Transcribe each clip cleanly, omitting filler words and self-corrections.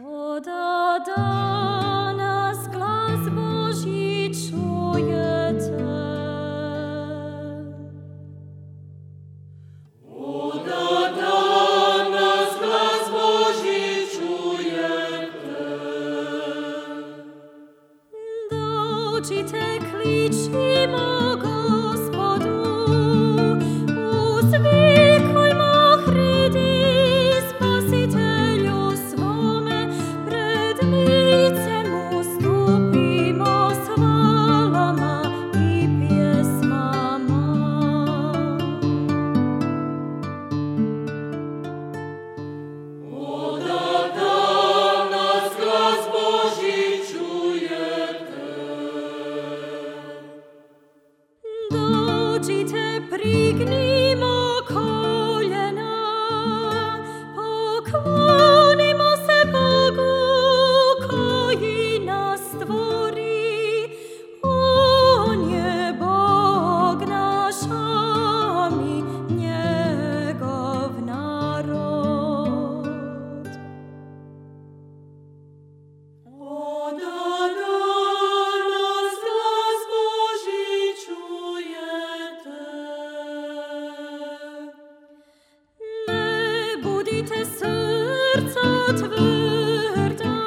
Oda danas glas Božji čujete. Oda danas glas Božji čujete. Dođite, kličimo Gospodu, uzvikujmo, hridi Spasitelju svome, pred lice mu stupimo s hvalama i pjesmama. Oda danas glas Božji čujete. Dođite, prignimo koljena, poklonimo se Bogu koji nas stvori. On je Bog naš, a mi njegov narod. Oda danas glas Božji čujete. Ne budite srca tvrda,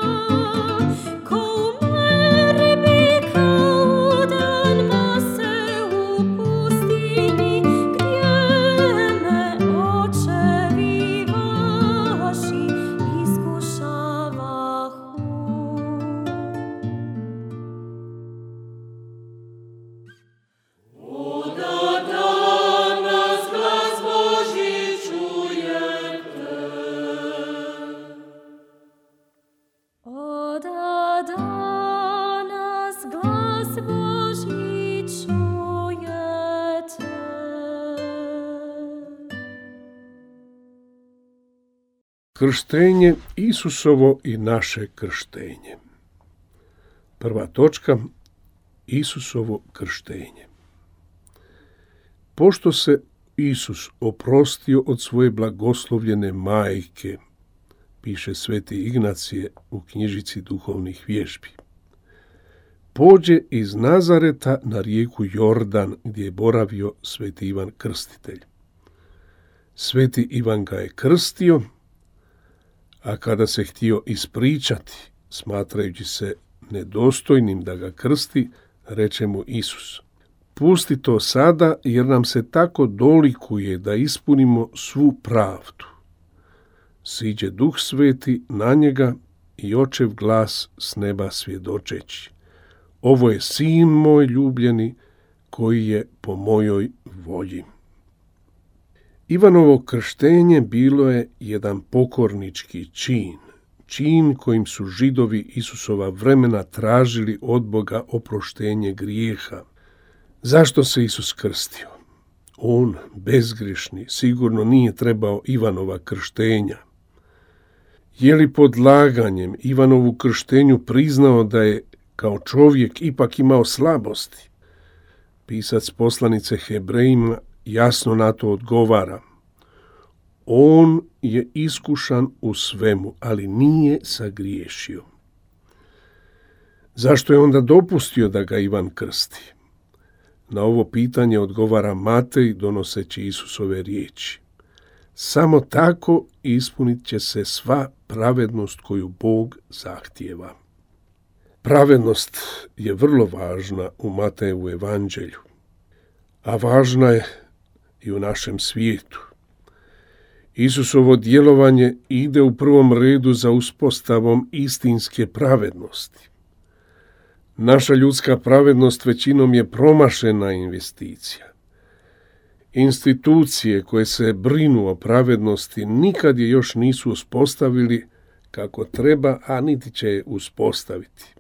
ko u meribi kaudan mase u pustini, gdje me očevi vaši iskušavahu. Oda danas glas Božji čujete. Oda danas glas Božji čujete. Krštenje Isusovo i naše krštenje. Prva točka, Isusovo krštenje. Pošto se Isus oprostio od svoje blagoslovljene majke, piše sveti Ignacije u knjižici duhovnih vježbi, pođe iz Nazareta na rijeku Jordan gdje je boravio sveti Ivan Krstitelj. Sveti Ivan ga je krstio, a kada se htio ispričati, smatrajući se nedostojnim da ga krsti, reče mu Isus: pusti to sada, jer nam se tako dolikuje da ispunimo svu pravdu. Siđe Duh Sveti na njega i očev glas s neba svjedočeći: ovo je sin moj ljubljeni, koji je po mojoj volji. Ivanovo krštenje bilo je jedan pokornički čin kojim su Židovi Isusova vremena tražili od Boga oproštenje grijeha. Zašto se Isus krstio? On, bezgrešni, sigurno nije trebao Ivanova krštenja. Je li pod laganjem Ivanovu krštenju priznao da je kao čovjek ipak imao slabosti? Pisac poslanice Hebrejima jasno na to odgovara: on je iskušan u svemu, ali nije sagriješio. Zašto je onda dopustio da ga Ivan krsti? Na ovo pitanje odgovara Matej donoseći Isusove riječi: samo tako ispunit će se sva pravednost koju Bog zahtijeva. Pravednost je vrlo važna u Matejevu evanđelju, a važna je i u našem svijetu. Isusovo djelovanje ide u prvom redu za uspostavom istinske pravednosti. Naša ljudska pravednost većinom je promašena investicija. Institucije koje se brinu o pravednosti nikad je još nisu uspostavili kako treba, a niti će je uspostaviti.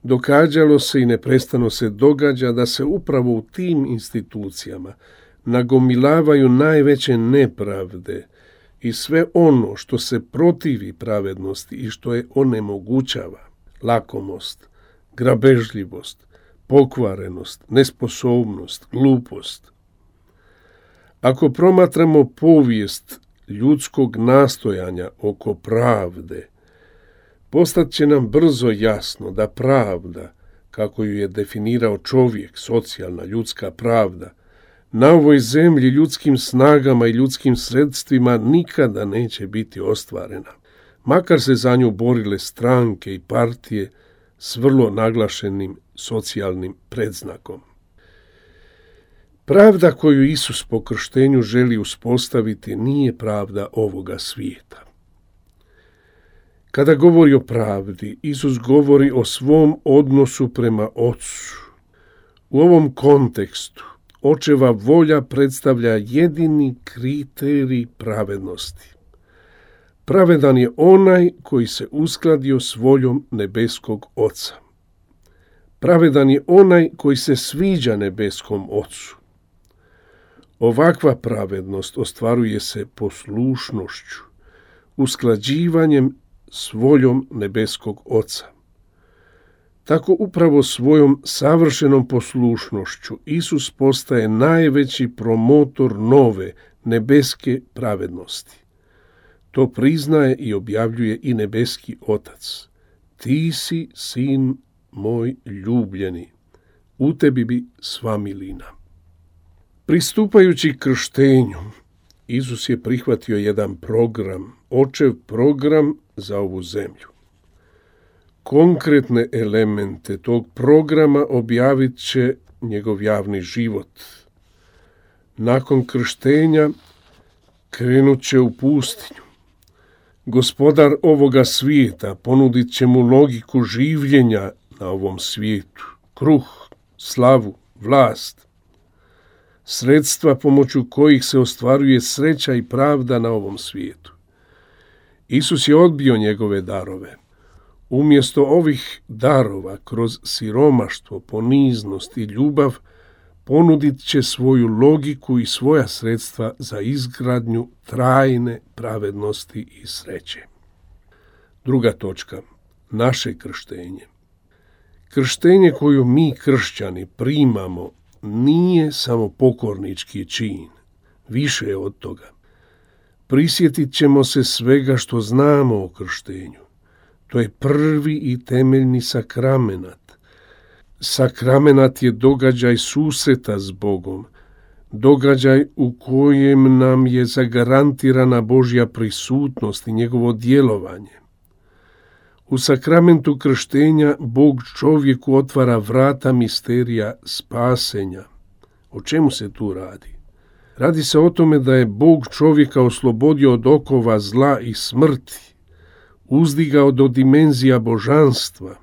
Događalo se i neprestano se događa da se upravo u tim institucijama nagomilavaju najveće nepravde i sve ono što se protivi pravednosti i što je onemogućava: lakomost, grabežljivost, pokvarenost, nesposobnost, glupost. Ako promatramo povijest ljudskog nastojanja oko pravde, Postat će nam brzo jasno da pravda, kako ju je definirao čovjek, socijalna, ljudska pravda, na ovoj zemlji ljudskim snagama i ljudskim sredstvima nikada neće biti ostvarena, makar se za nju borile stranke i partije s vrlo naglašenim socijalnim predznakom. Pravda koju Isus po krštenju želi uspostaviti nije pravda ovoga svijeta. Kada govori o pravdi, Isus govori o svom odnosu prema Ocu. U ovom kontekstu Očeva volja predstavlja jedini kriterij pravednosti. Pravedan je onaj koji se uskladio s voljom nebeskog Oca. Pravedan je onaj koji se sviđa nebeskom Ocu. Ovakva pravednost ostvaruje se poslušnošću, usklađivanjem s voljom nebeskog Oca. Tako upravo svojom savršenom poslušnošću Isus postaje najveći promotor nove nebeske pravednosti. To priznaje i objavljuje i nebeski Otac. Ti si sin moj ljubljeni, u tebi bi sva milina. Pristupajući krštenju, Isus je prihvatio jedan program, Očev program za ovu zemlju. Konkretne elemente tog programa objavit će njegov javni život. Nakon krštenja krenut će u pustinju. Gospodar ovoga svijeta ponudit će mu logiku življenja na ovom svijetu, kruh, slavu, vlast, sredstva pomoću kojih se ostvaruje sreća i pravda na ovom svijetu. Isus je odbio njegove darove. Umjesto ovih darova, kroz siromaštvo, poniznost i ljubav, ponudit će svoju logiku i svoja sredstva za izgradnju trajne pravednosti i sreće. Druga točka, naše krštenje. Krštenje koju mi kršćani primamo nije samo pokornički čin, više je od toga. Prisjetit ćemo se svega što znamo o krštenju. To je prvi i temeljni sakramenat. Sakramenat je događaj susreta s Bogom, događaj u kojem nam je zagarantirana Božja prisutnost i njegovo djelovanje. U sakramentu krštenja Bog čovjeku otvara vrata misterija spasenja. O čemu se tu radi? Radi se o tome da je Bog čovjeka oslobodio od okova zla i smrti, uzdigao do dimenzija božanstva.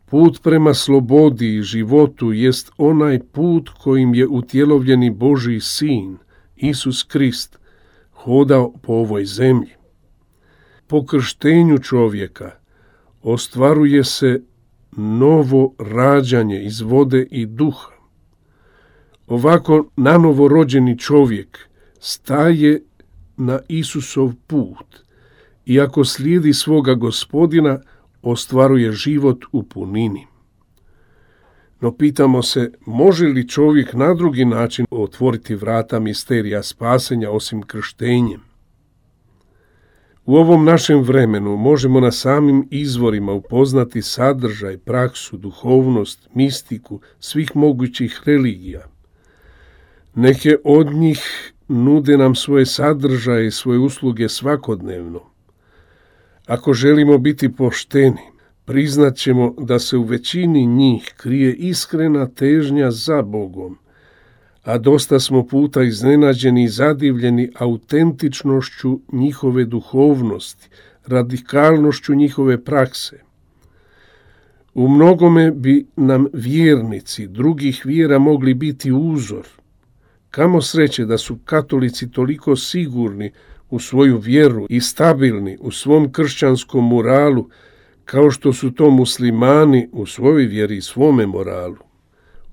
Put prema slobodi i životu jest onaj put kojim je utjelovljeni Božji sin, Isus Krist, hodao po ovoj zemlji. Po krštenju čovjeka ostvaruje se novo rađanje iz vode i duha. Ovako nanovo rođeni čovjek staje na Isusov put i ako slijedi svoga Gospodina, ostvaruje život u punini. No pitamo se, može li čovjek na drugi način otvoriti vrata misterija spasenja osim krštenjem? U ovom našem vremenu možemo na samim izvorima upoznati sadržaj, praksu, duhovnost, mistiku svih mogućih religija. Neke od njih nude nam svoje sadržaje i svoje usluge svakodnevno. Ako želimo biti pošteni, priznat ćemo da se u većini njih krije iskrena težnja za Bogom, a dosta smo puta iznenađeni i zadivljeni autentičnošću njihove duhovnosti, radikalnošću njihove prakse. U mnogome bi nam vjernici drugih vjera mogli biti uzor. Kamo sreće da su katolici toliko sigurni u svoju vjeru i stabilni u svom kršćanskom moralu, kao što su to muslimani u svojoj vjeri i svome moralu.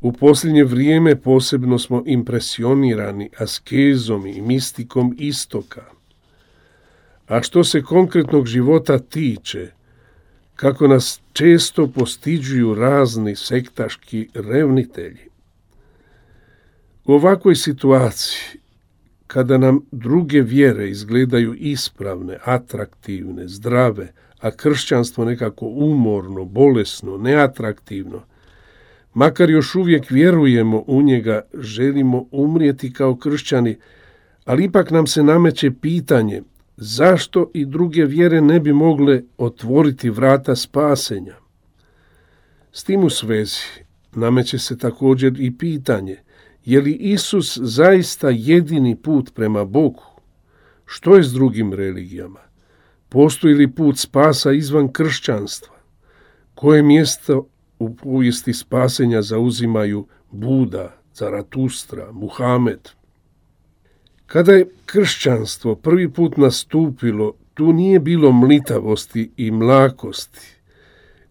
U posljednje vrijeme posebno smo impresionirani askezom i mistikom istoka. A što se konkretnog života tiče, kako nas često postiđuju razni sektaški revnitelji. U ovakvoj situaciji, kada nam druge vjere izgledaju ispravne, atraktivne, zdrave, a kršćanstvo nekako umorno, bolesno, neatraktivno, makar još uvijek vjerujemo u njega, želimo umrijeti kao kršćani, ali ipak nam se nameće pitanje zašto i druge vjere ne bi mogle otvoriti vrata spasenja. S tim u svezi nameće se također i pitanje je li Isus zaista jedini put prema Bogu? Što je s drugim religijama? Postoji li put spasa izvan kršćanstva? Koje mjesto u povijesti spasenja zauzimaju Buda, Zaratustra, Muhamed? Kada je kršćanstvo prvi put nastupilo, tu nije bilo mlitavosti i mlakosti.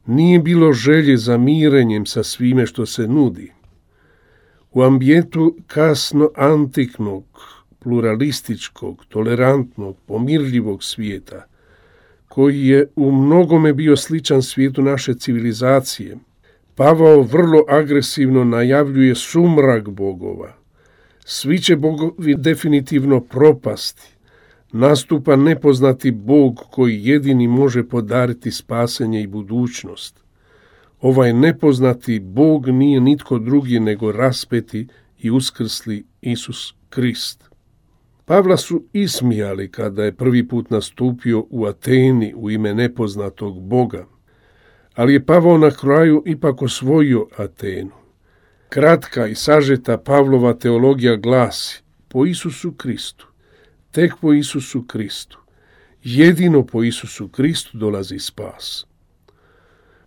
Nije bilo želje za mirenjem sa svime što se nudi. U ambijentu kasno antiknog, pluralističkog, tolerantnog, pomirljivog svijeta, koji je u mnogome bio sličan svijetu naše civilizacije, Pavao vrlo agresivno najavljuje sumrak bogova. Svi će bogovi definitivno propasti. Nastupa nepoznati Bog koji jedini može podariti spasenje i budućnost. Ovaj nepoznati Bog nije nitko drugi nego raspeti i uskrsli Isus Krist. Pavla su ismijali kada je prvi put nastupio u Ateni u ime nepoznatog Boga, ali je Pavao na kraju ipak osvojio Atenu. Kratka i sažeta Pavlova teologija glasi: po Isusu Kristu, tek po Isusu Kristu, jedino po Isusu Kristu dolazi spas.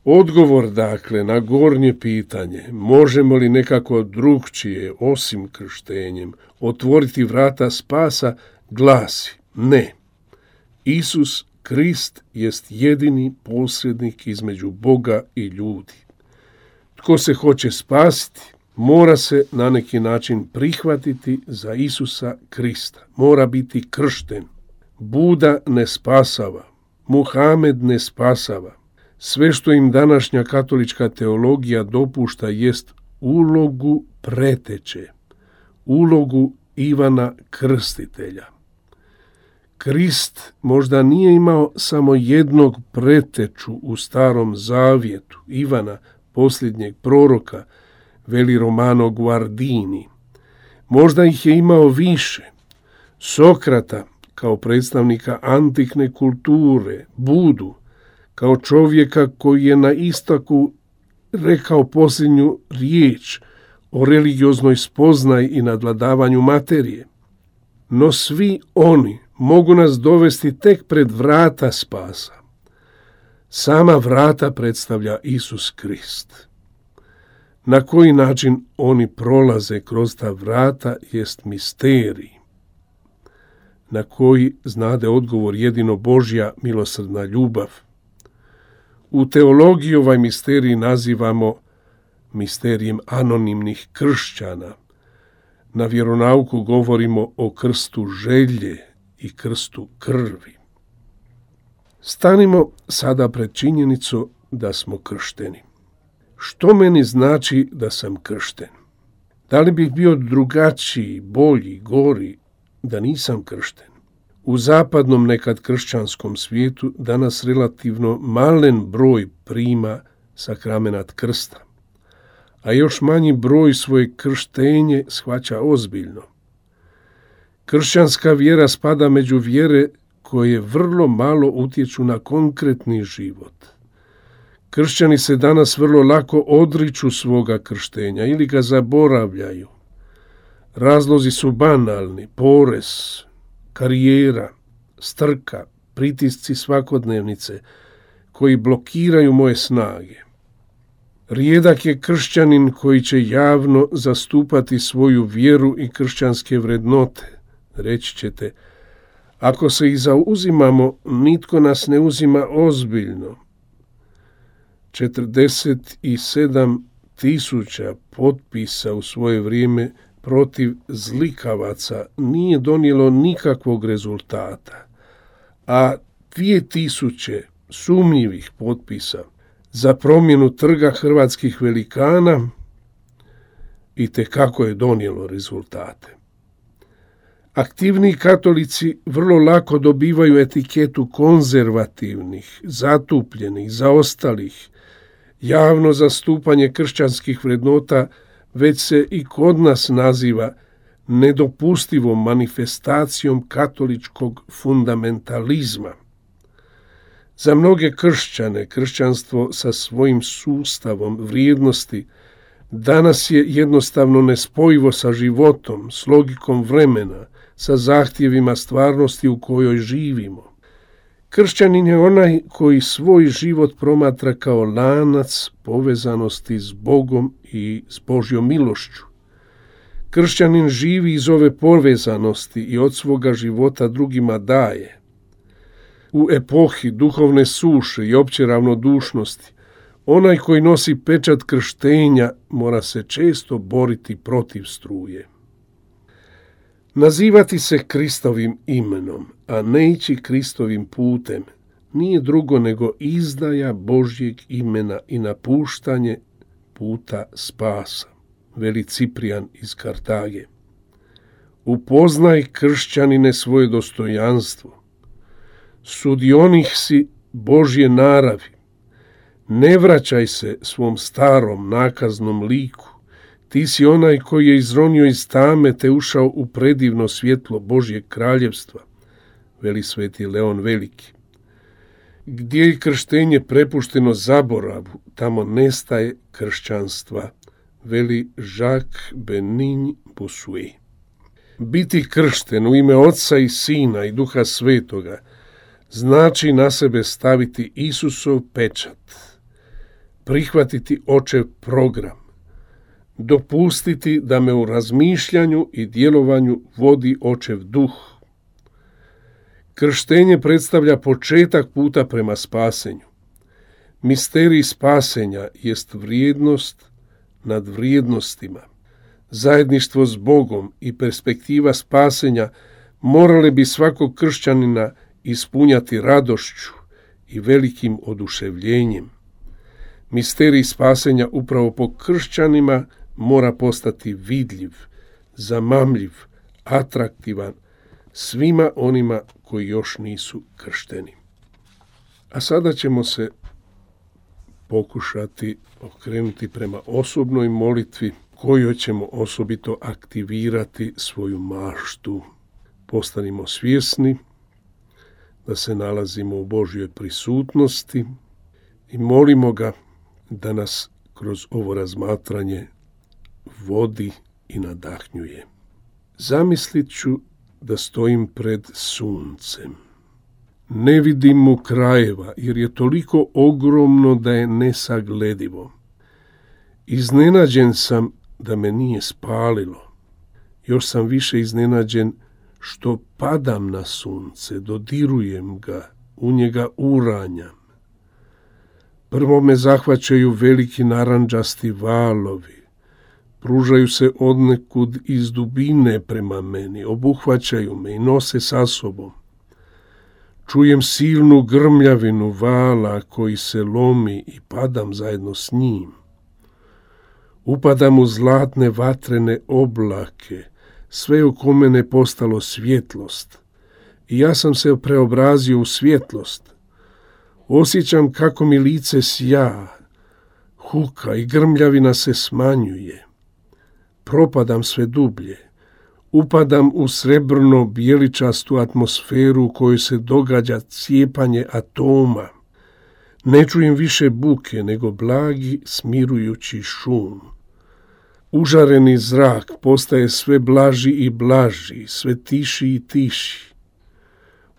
Odgovor, dakle, na gornje pitanje, možemo li nekako drugčije, osim krštenjem, otvoriti vrata spasa, glasi: ne. Isus Krist jest jedini posrednik između Boga i ljudi. Tko se hoće spasiti, mora se na neki način prihvatiti za Isusa Krista. Mora biti kršten. Buda ne spasava. Muhamed ne spasava. Sve što im današnja katolička teologija dopušta jest ulogu preteče, ulogu Ivana Krstitelja. Krist možda nije imao samo jednog preteču u Starom Zavjetu, Ivana, posljednjeg proroka, veli Romano Guardini. Možda ih je imao više. Sokrata kao predstavnika antikne kulture, Budu kao čovjeka koji je na istoku rekao posljednju riječ o religioznoj spoznaji i nadvladavanju materije. No svi oni mogu nas dovesti tek pred vrata spasa. Sama vrata predstavlja Isus Krist. Na koji način oni prolaze kroz ta vrata jest misterij, na koji znade odgovor jedino Božja milosrdna ljubav. U teologiji ovaj misterij nazivamo misterijem anonimnih kršćana. Na vjeronauku govorimo o krstu želje i krstu krvi. Stanimo sada pred činjenicu da smo kršteni. Što meni znači da sam kršten? Da li bih bio drugačiji, bolji, gori da nisam kršten? U zapadnom nekad kršćanskom svijetu danas relativno malen broj prima sakramenat krsta, a još manji broj svoje krštenje shvaća ozbiljno. Kršćanska vjera spada među vjere koje vrlo malo utječu na konkretni život. Kršćani se danas vrlo lako odriču svoga krštenja ili ga zaboravljaju. Razlozi su banalni: porez, karijera, strka, pritisci svakodnevnice koji blokiraju moje snage. Rijedak je kršćanin koji će javno zastupati svoju vjeru i kršćanske vrednote. Reći ćete, ako se i zauzimamo, nitko nas ne uzima ozbiljno. 47.000 potpisa u svoje vrijeme protiv zlikavaca nije donijelo nikakvog rezultata, a 2.000 sumnjivih potpisa za promjenu trga hrvatskih velikana itekako je donijelo rezultate. Aktivni katolici vrlo lako dobivaju etiketu konzervativnih, zatupljenih, zaostalih. Javno zastupanje kršćanskih vrednota već se i kod nas naziva nedopustivom manifestacijom katoličkog fundamentalizma. Za mnoge kršćane, kršćanstvo sa svojim sustavom vrijednosti danas je jednostavno nespojivo sa životom, s logikom vremena, sa zahtjevima stvarnosti u kojoj živimo. Kršćanin je onaj koji svoj život promatra kao lanac povezanosti s Bogom i s Božjom milošću. Kršćanin živi iz ove povezanosti i od svoga života drugima daje. U epohi duhovne suše i opće ravnodušnosti, onaj koji nosi pečat krštenja mora se često boriti protiv struje. Nazivati se Kristovim imenom, a ne ići Kristovim putem, nije drugo nego izdaja Božjeg imena i napuštanje puta spasa, veli Ciprijan iz Kartage. Upoznaj, kršćanine, svoje dostojanstvo. Sudionik si Božje naravi. Ne vraćaj se svom starom nakaznom liku. Ti si onaj koji je izronio iz tame te ušao u predivno svjetlo Božjeg kraljevstva, veli sveti Leon Veliki. Gdje je krštenje prepušteno zaboravu, tamo nestaje kršćanstva, veli Jacques Benin Bossuet. Biti kršten u ime Oca i Sina i Duha Svetoga znači na sebe staviti Isusov pečat, prihvatiti Očev program, dopustiti da me u razmišljanju i djelovanju vodi Očev duh. Krštenje predstavlja početak puta prema spasenju. Misterij spasenja jest vrijednost nad vrijednostima. Zajedništvo s Bogom i perspektiva spasenja morale bi svakog kršćanina ispunjati radošću i velikim oduševljenjem. Misterij spasenja upravo po kršćanima mora postati vidljiv, zamamljiv, atraktivan svima onima koji još nisu kršteni. A sada ćemo se pokušati okrenuti prema osobnoj molitvi kojoj ćemo osobito aktivirati svoju maštu. Postanimo svjesni da se nalazimo u Božjoj prisutnosti i molimo ga da nas kroz ovo razmatranje vodi i nadahnjuje. Zamislit ću da stojim pred suncem. Ne vidim mu krajeva, jer je toliko ogromno da je nesagledivo. Iznenađen sam da me nije spalilo. Još sam više iznenađen što padam na sunce, dodirujem ga, u njega uranjam. Prvo me zahvaćaju veliki narandžasti valovi, pružaju se odnekud iz dubine prema meni, obuhvaćaju me i nose sa sobom. Čujem silnu grmljavinu vala koji se lomi i padam zajedno s njim. Upadam u zlatne vatrene oblake, sve oko mene postalo svjetlost i ja sam se preobrazio u svjetlost. Osjećam kako mi lice sja, huka i grmljavina se smanjuje. Propadam sve dublje. Upadam u srebrno bijeličastu atmosferu u kojoj se događa cijepanje atoma. Ne čujem više buke nego blagi smirujući šum. Užareni zrak postaje sve blaži i blaži, sve tiši i tiši.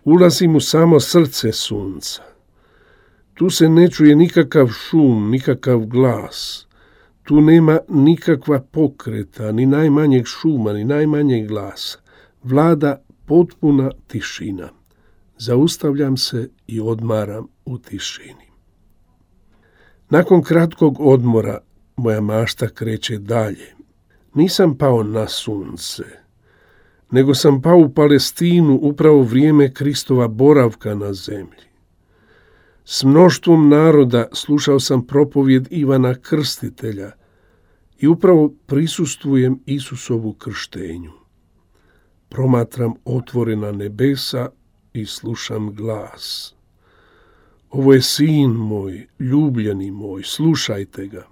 Ulazim u samo srce sunca. Tu se ne čuje nikakav šum, nikakav glas. Tu nema nikakva pokreta, ni najmanjeg šuma, ni najmanjeg glasa. Vlada potpuna tišina. Zaustavljam se i odmaram u tišini. Nakon kratkog odmora moja mašta kreće dalje. Nisam pao na sunce, nego sam pao u Palestinu upravo vrijeme Kristova boravka na zemlji. S mnoštvom naroda slušao sam propovjed Ivana Krstitelja i upravo prisustvujem Isusovu krštenju. promatram otvorena nebesa i slušam glas. Ovo je sin moj, ljubljeni moj, slušajte ga.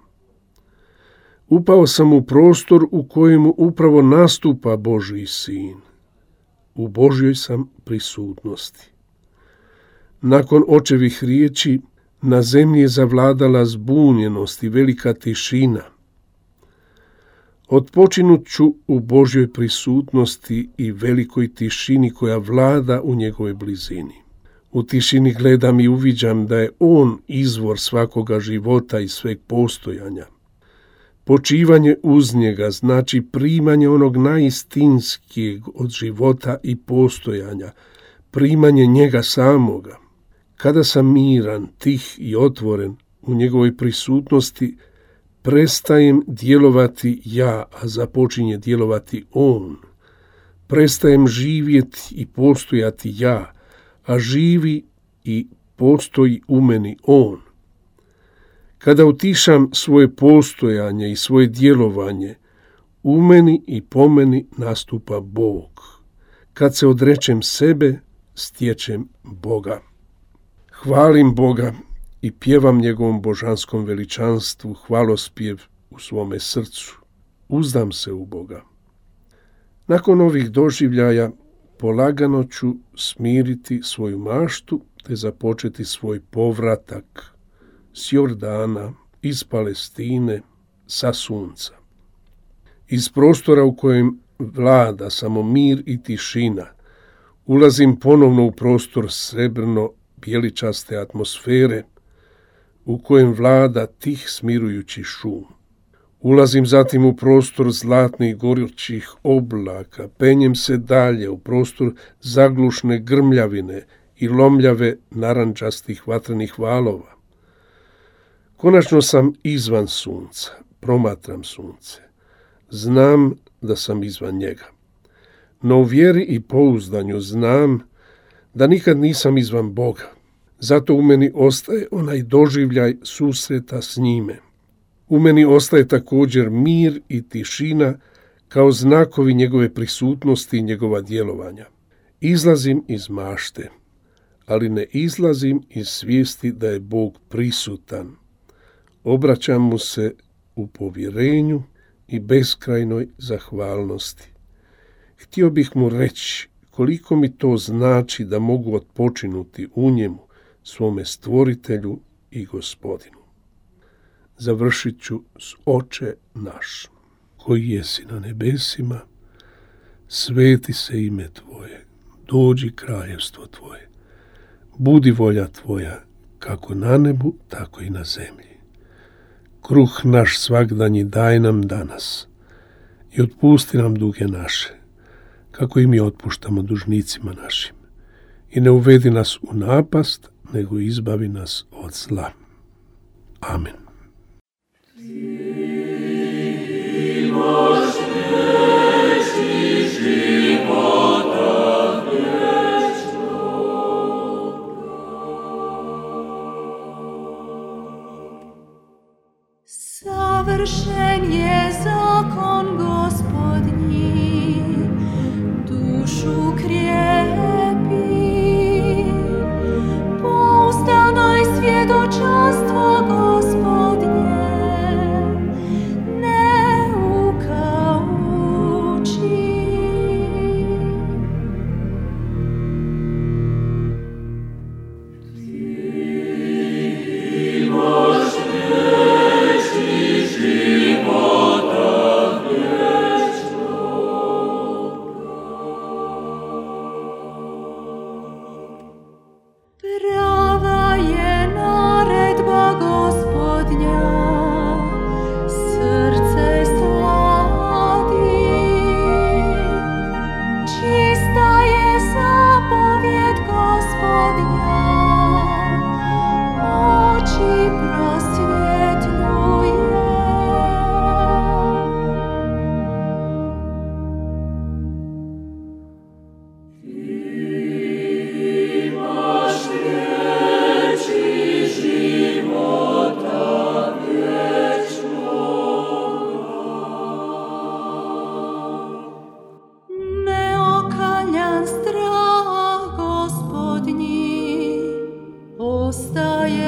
Upao sam u prostor u kojemu upravo nastupa Božji sin. U Božjoj sam prisutnosti. Nakon očevih riječi, na zemlji je zavladala zbunjenost i velika tišina. Odpočinut ću u Božjoj prisutnosti i velikoj tišini koja vlada u njegovoj blizini. U tišini gledam i uviđam da je on izvor svakoga života i sveg postojanja. Počivanje uz njega znači primanje onog najistinskijeg od života i postojanja, primanje njega samoga. Kada sam miran, tih i otvoren u njegovoj prisutnosti, prestajem djelovati ja, a započinje djelovati on. Prestajem živjeti i postojati ja, a živi i postoji u meni on. Kada utišam svoje postojanje i svoje djelovanje, u meni i po meni nastupa Bog. Kad se odrečem sebe, stječem Boga. Hvalim Boga i pjevam njegovom božanskom veličanstvu hvalospjev u svome srcu. Uzdam se u Boga. Nakon ovih doživljaja polagano ću smiriti svoju maštu te započeti svoj povratak s Jordana, iz Palestine, sa sunca. Iz prostora u kojem vlada samo mir i tišina, ulazim ponovno u prostor srebrno-bjeličaste atmosfere u kojem vlada tih smirujući šum. Ulazim zatim u prostor zlatnih gorućih oblaka, penjem se dalje u prostor zaglušne grmljavine i lomljave narandžastih vatrenih valova. Konačno sam izvan sunca, promatram sunce. Znam da sam izvan njega. No u vjeri i pouzdanju znam da nikad nisam izvan Boga. Zato u meni ostaje onaj doživljaj susreta s njime. U meni ostaje također mir i tišina kao znakovi njegove prisutnosti i njegova djelovanja. Izlazim iz mašte, ali ne izlazim iz svijesti da je Bog prisutan. Obraćam mu se u povjerenju i beskrajnoj zahvalnosti. Htio bih mu reći koliko mi to znači da mogu odpočinuti u njemu, svome stvoritelju i gospodinu. Završit ću s Oče naš, koji jesi na nebesima, sveti se ime tvoje, dođi kraljevstvo tvoje, budi volja tvoja, kako na nebu, tako i na zemlji. Kruh naš svagdanji daj nam danas i otpusti nam duge naše, kako i mi otpuštamo dužnicima našim. I ne uvedi nas u napast, nego izbavi nas od zla. Amen. Savršen je zakon Gospodnji, dušu krijepi. Pouzdano je svjedočanstvo Gospodnje, neuka uči. Ti imaš vječni život.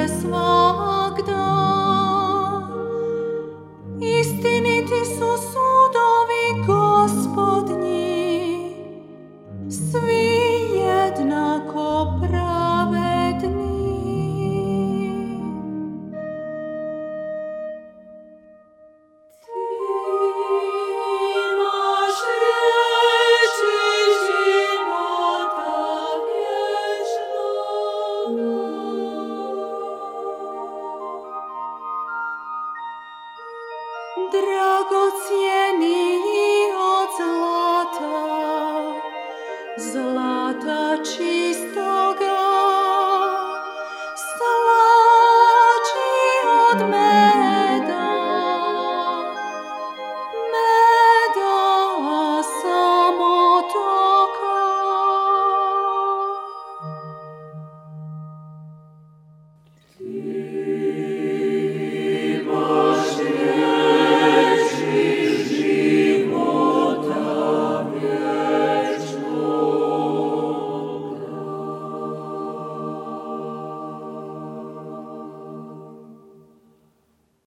je svak dan. Istiniti su sudovi Gospodnji, svi jednako pravedni. Dragi